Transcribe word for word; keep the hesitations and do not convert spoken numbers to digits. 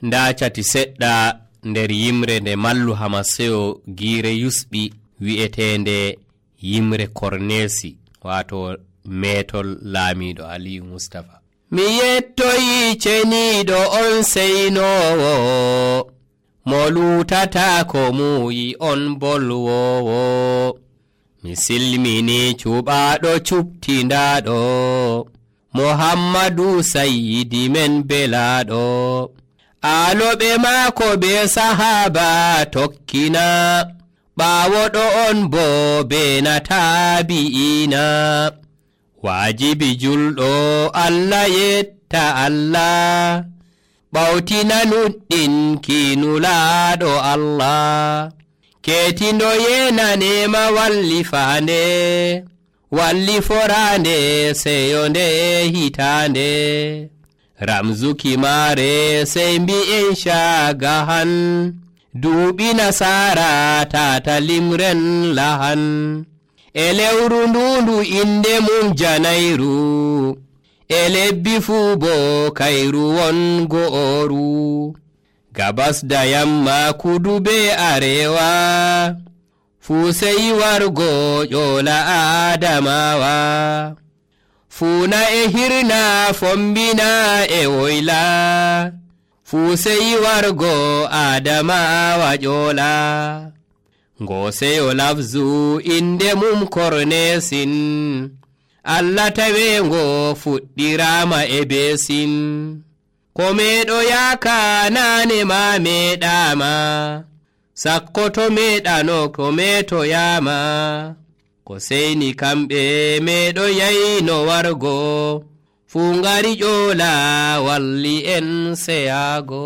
nda cati seɗɗa nder yimre nde mallu Hamaseyo giire yusɓi wi'etende yimre Kornesi wato metol laamiɗo Aliyu Mustafa. Mi yettoyi ceniɗo on seynowo mo lutata ko muyi on bolwowo. Mi silmini cuɓaɗo cuptindaɗo Muhammadu Sayyidi men belaɗo. Aloɓe maako be sahaba tokkina ɓawoɗo on bo be na tabi'ina. Wajibi julɗo Allah yetta Allah ɓawtina nuɗɗin kinulaɗo Allah. Ketindo yena nema walli faande walli forande seyo nde hitande. Ramzuki mare sey mbi'en shagahan duuɓi nasara tata limren lahan. E lewru ndundu inde mum janayru e lebbi fuu bo kayru won go'oru. Gabas da yamma kudu be arewa fuu sey wargo ƴola Adamawa. Fuuna e hirna fombina e woyla fuu sey wargo Adamawa ƴola. Ngoseyo lafzu inde mum Kornesin Allah tawengo fuɗɗirama e besin. Ko meɗo yaka nane ma meɗama sakko to meɗano ko meto yama. Ko seyni kamɓe meɗo yayno wargo fuu ngari ƴola walli en seyago.